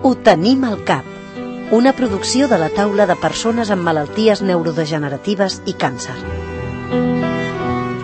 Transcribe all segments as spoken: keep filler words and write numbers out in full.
Ho tenim al cap. Una producció de la taula de persones amb malalties neurodegeneratives i càncer.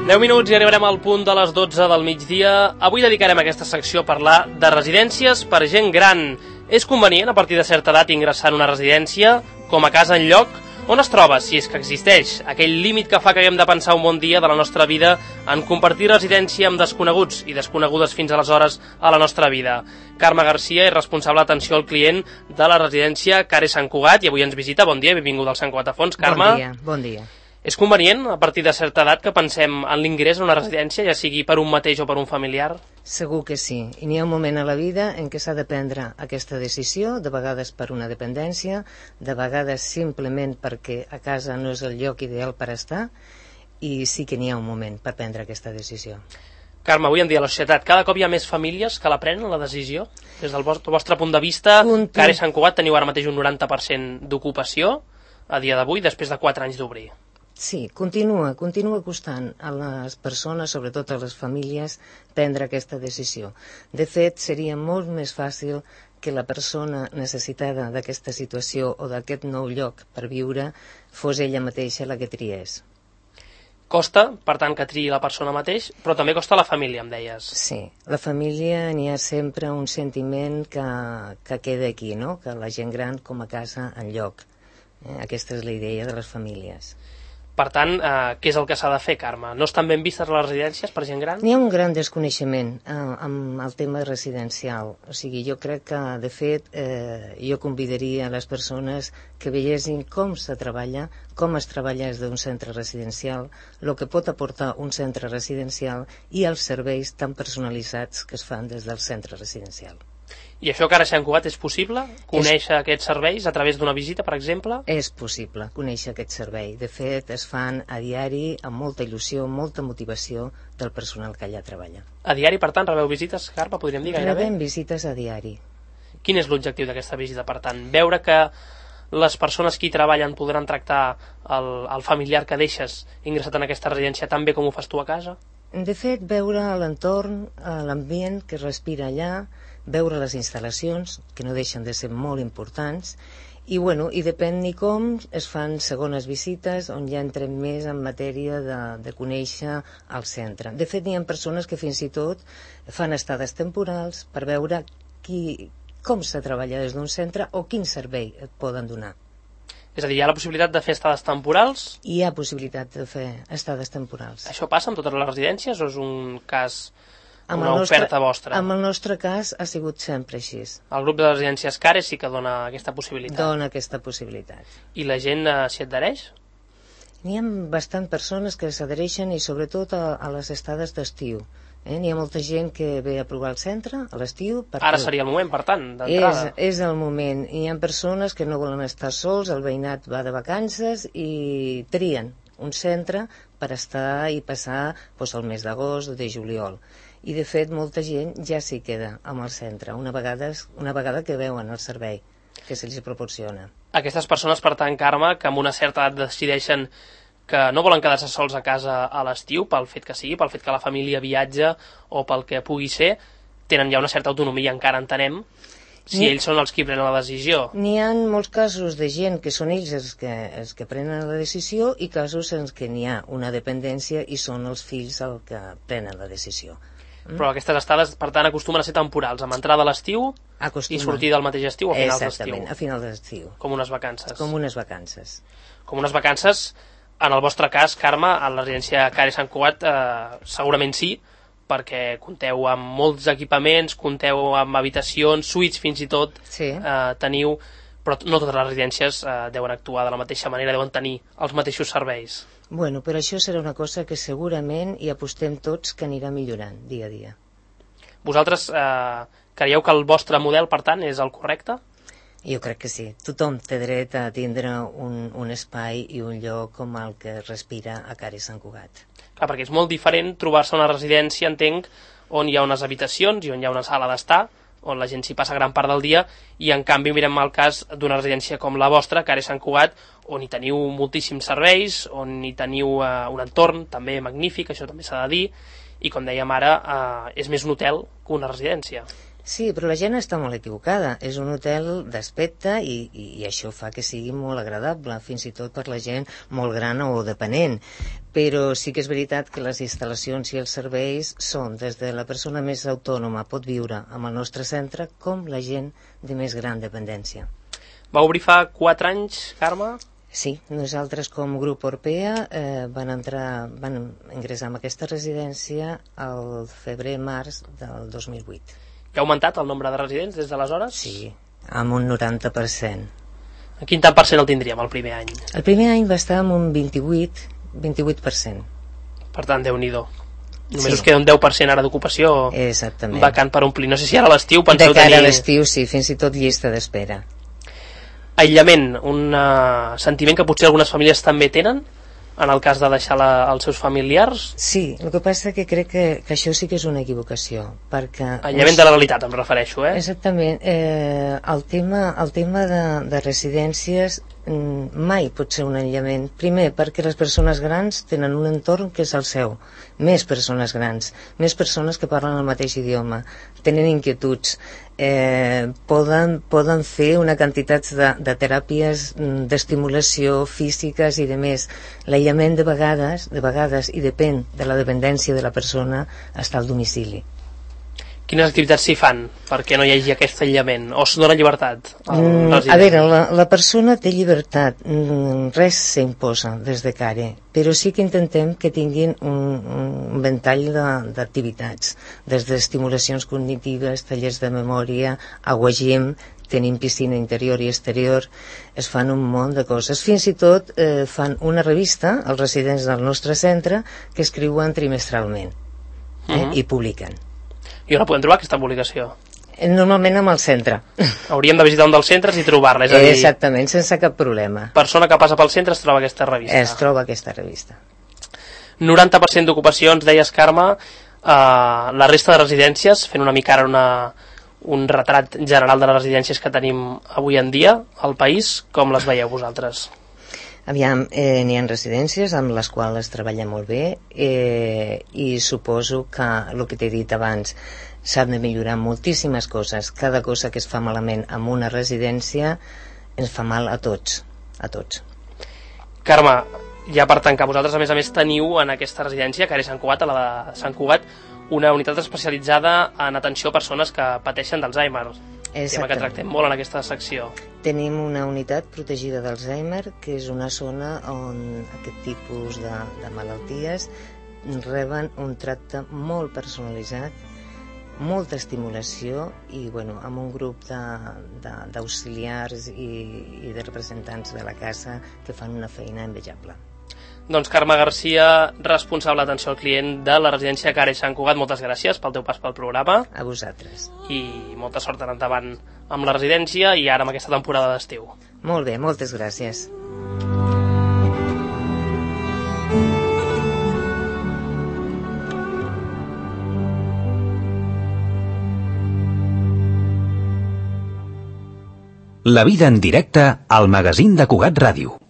deu minuts i arribarem al punt de les dotze del migdia. Avui dedicarem aquesta secció a parlar de residències per gent gran. És convenient, a partir de certa edat, ingressar en una residència, com a casa en lloc? On es troba, si és que existeix, aquell límit que fa que haguem de pensar un bon dia de la nostra vida en compartir residència amb desconeguts i desconegudes fins aleshores a la nostra vida? Carme Garcia és responsable d'atenció al client de la residència Care Sant Cugat i avui ens visita. Bon dia, benvinguda al Sant Cugat a Fons. Carme. Bon dia, bon dia. És convenient, a partir de certa edat, que pensem en l'ingrés en una residència, ja sigui per un mateix o per un familiar? Segur que sí. I n'hi ha un moment a la vida en què s'ha de prendre aquesta decisió, de vegades per una dependència, de vegades simplement perquè a casa no és el lloc ideal per estar, i sí que n'hi ha un moment per prendre aquesta decisió. Carme, avui en dia a la societat cada cop hi ha més famílies que la prenen la decisió? Des del vostre, vostre punt de vista, Continu... Care Sant Cugat teniu ara mateix un noranta per cent d'ocupació a dia d'avui, després de quatre anys d'obrir. Sí, continua, continua costant a les persones, sobretot a les famílies, prendre aquesta decisió. De fet, seria molt més fàcil que la persona necessitada d'aquesta situació o d'aquest nou lloc per viure fos ella mateixa la que triés. Costa, per tant, que triï la persona mateix, però també costa la família, em deies. Sí, la família n'hi ha sempre un sentiment que, que queda aquí, no? Que la gent gran com a casa en lloc. Eh? Aquesta és la idea de les famílies. Per tant, eh, què és el que s'ha de fer, Carme? No estan ben vistes les residències per gent gran? N'hi ha un gran desconeixement eh, amb el tema residencial. O sigui, jo crec que, de fet, eh, jo convidaria a les persones que veiessin com se treballa, com es treballa des d'un centre residencial, el que pot aportar un centre residencial i els serveis tan personalitzats que es fan des del centre residencial. I això que ara s'ha encubat és possible? Conèixer és... aquests serveis a través d'una visita, per exemple? És possible conèixer aquest servei. De fet, es fan a diari amb molta il·lusió, molta motivació del personal que allà treballa. A diari, per tant, rebeu visites, Carme, podríem dir gairebé? Rebem visites a diari. Quin és l'objectiu d'aquesta visita, per tant? Veure que les persones que hi treballen podran tractar el, el familiar que deixes ingressat en aquesta residència tan bé com ho fas tu a casa? De fet, veure l'entorn, l'ambient que es respira allà, veure les instal·lacions, que no deixen de ser molt importants, i, bueno, i depèn ni com es fan segones visites on ja entrem més en matèria de, de conèixer el centre. De fet, n'hi ha persones que fins i tot fan estades temporals per veure qui, com se treballa des d'un centre o quin servei et poden donar. És a dir, hi ha la possibilitat de fer estades temporals? Hi ha possibilitat de fer estades temporals. Això passa amb totes les residències o és un cas... Amb una nostre, oferta vostra? Amb el nostre cas ha sigut sempre així. El grup de residències Care sí que dona aquesta possibilitat. Dona aquesta possibilitat. I la gent eh, s'hi adhereix? N'hi ha bastant persones que s'adhereixen i sobretot a, a les estades d'estiu. Eh? N'hi ha molta gent que ve a provar el centre a l'estiu. Ara seria el moment, per tant, d'entrada. És, és el moment. Hi ha persones que no volen estar sols, el veïnat va de vacances i trien un centre per estar i passar doncs, el mes d'agost o de juliol. I, de fet, molta gent ja s'hi queda amb el centre, una vegada, una vegada que veuen el servei que se'ls proporciona. Aquestes persones, per tant, Carme, que amb una certa edat decideixen que no volen quedar-se sols a casa a l'estiu, pel fet que sigui, pel fet que la família viatja o pel que pugui ser, tenen ja una certa autonomia, encara entenem, si ells són els qui prenen la decisió. N'hi ha molts casos de gent que són ells els que, els que prenen la decisió i casos en què n'hi ha una dependència i són els fills els que prenen la decisió. Mm? Però aquestes estades, per tant, acostumen a ser temporals, amb entrada a l'estiu i sortir del mateix estiu o a finals d'estiu. Exactament, a finals d'estiu. Com unes vacances. Com unes vacances. Com unes vacances, en el vostre cas, Carme, a la residència Care Sant Cugat, eh, segurament sí, perquè compteu amb molts equipaments, compteu amb habitacions, suites fins i tot, sí. eh, teniu, però no totes les residències eh, deuen actuar de la mateixa manera, deuen tenir els mateixos serveis. Bueno, però això serà una cosa que segurament hi apostem tots que anirà millorant dia a dia. Vosaltres eh, creieu que el vostre model, per tant, és el correcte? Jo crec que sí. Tothom té dret a tindre un, un espai i un lloc com el que respira a Care Sant Cugat. Clar, perquè és molt diferent trobar-se a una residència, entenc, on hi ha unes habitacions i on hi ha una sala d'estar, on la gent s'hi passa gran part del dia, i en canvi mirem el cas d'una residència com la vostra, Care Sant Cugat, on hi teniu moltíssims serveis, on hi teniu eh, un entorn també magnífic, això també s'ha de dir, i com dèiem ara, eh, és més un hotel que una residència. Sí, però la gent està molt equivocada. És un hotel d'aspecte i, i, i això fa que sigui molt agradable, fins i tot per la gent molt gran o dependent. Però sí que és veritat que les instal·lacions i els serveis són des de la persona més autònoma pot viure amb el nostre centre com la gent de més gran dependència. Va obrir fa quatre anys, Carme? Sí, nosaltres com grup Orpea eh, van entrar, van ingressar en aquesta residència al febrer-març del dos mil vuit. I ha augmentat el nombre de residents des d'aleshores? Sí, amb un noranta per cent. En quin tant per cent el tindríem el primer any? El primer any va estar amb un vint-i-vuit per cent. Per tant, Déu-n'hi-do. Només Sí. us queda un deu per cent ara d'ocupació Exactament. vacant per omplir. No sé si ara a l'estiu penseu De cara tenir... a l'estiu, sí, fins i tot llista d'espera. Aïllament, un uh, sentiment que potser algunes famílies també tenen en el cas de deixar la, els seus familiars. Sí, el que passa que crec que, que això sí que és una equivocació, perquè... Aïllament de la realitat, em refereixo, eh? Exactament. Eh, el tema, el tema de, de residències mm, mai pot ser un aïllament. Primer, perquè les persones grans tenen un entorn que és el seu. Més persones grans, més persones que parlen el mateix idioma, tenen inquietuds, eh, poden, poden fer una quantitat de, de teràpies mm, d'estimulació físiques i de més. L'aïllament de vegades, de vegades, i depèn de la dependència de la persona, està al domicili. Quines activitats s'hi fan perquè no hi hagi aquest aïllament? O es dona llibertat? Mm, a veure, la, la persona té llibertat, mm, res s'imposa des de care, però sí que intentem que tinguin un, un ventall d'activitats, des d'estimulacions cognitives, tallers de memòria, aguagim, tenim piscina interior i exterior, es fan un munt de coses. Fins i tot eh, fan una revista, els residents del nostre centre, que escriuen trimestralment eh, uh-huh. i publiquen. I on la podem trobar, aquesta publicació? Normalment amb el centre. Hauríem de visitar un dels centres i trobar-la, és a dir... Exactament, sense cap problema. Persona que passa pel centre es troba aquesta revista. Es troba aquesta revista. noranta per cent d'ocupacions, deies, Carme, eh, la resta de residències, fent una mica ara una, un retrat general de les residències que tenim avui en dia al país, com les veieu vosaltres? Aviam, eh, n'hi ha residències amb les quals es treballa molt bé eh, i suposo que el que t'he dit abans s'han de millorar moltíssimes coses. Cada cosa que es fa malament en una residència ens fa mal a tots, a tots. Carme, ja per tancar, vosaltres a més a més teniu en aquesta residència, que ara és Sant Cugat, a la de Sant Cugat, una unitat especialitzada en atenció a persones que pateixen d'Alzheimer. Tema que tractem molt en aquesta secció. Tenim una unitat protegida d'Alzheimer, que és una zona on aquest tipus de, de malalties reben un tracte molt personalitzat, molta estimulació i bueno, amb un grup d'auxiliars i, i de representants de la casa que fan una feina envejable. Doncs Carme Garcia, responsable d'atenció al client de la residència Care Sant Cugat, moltes gràcies pel teu pas pel programa. A vosaltres. I molta sort en endavant amb la residència i ara amb aquesta temporada d'estiu. Molt bé, moltes gràcies. La vida en directe al magazín de Cugat Ràdio.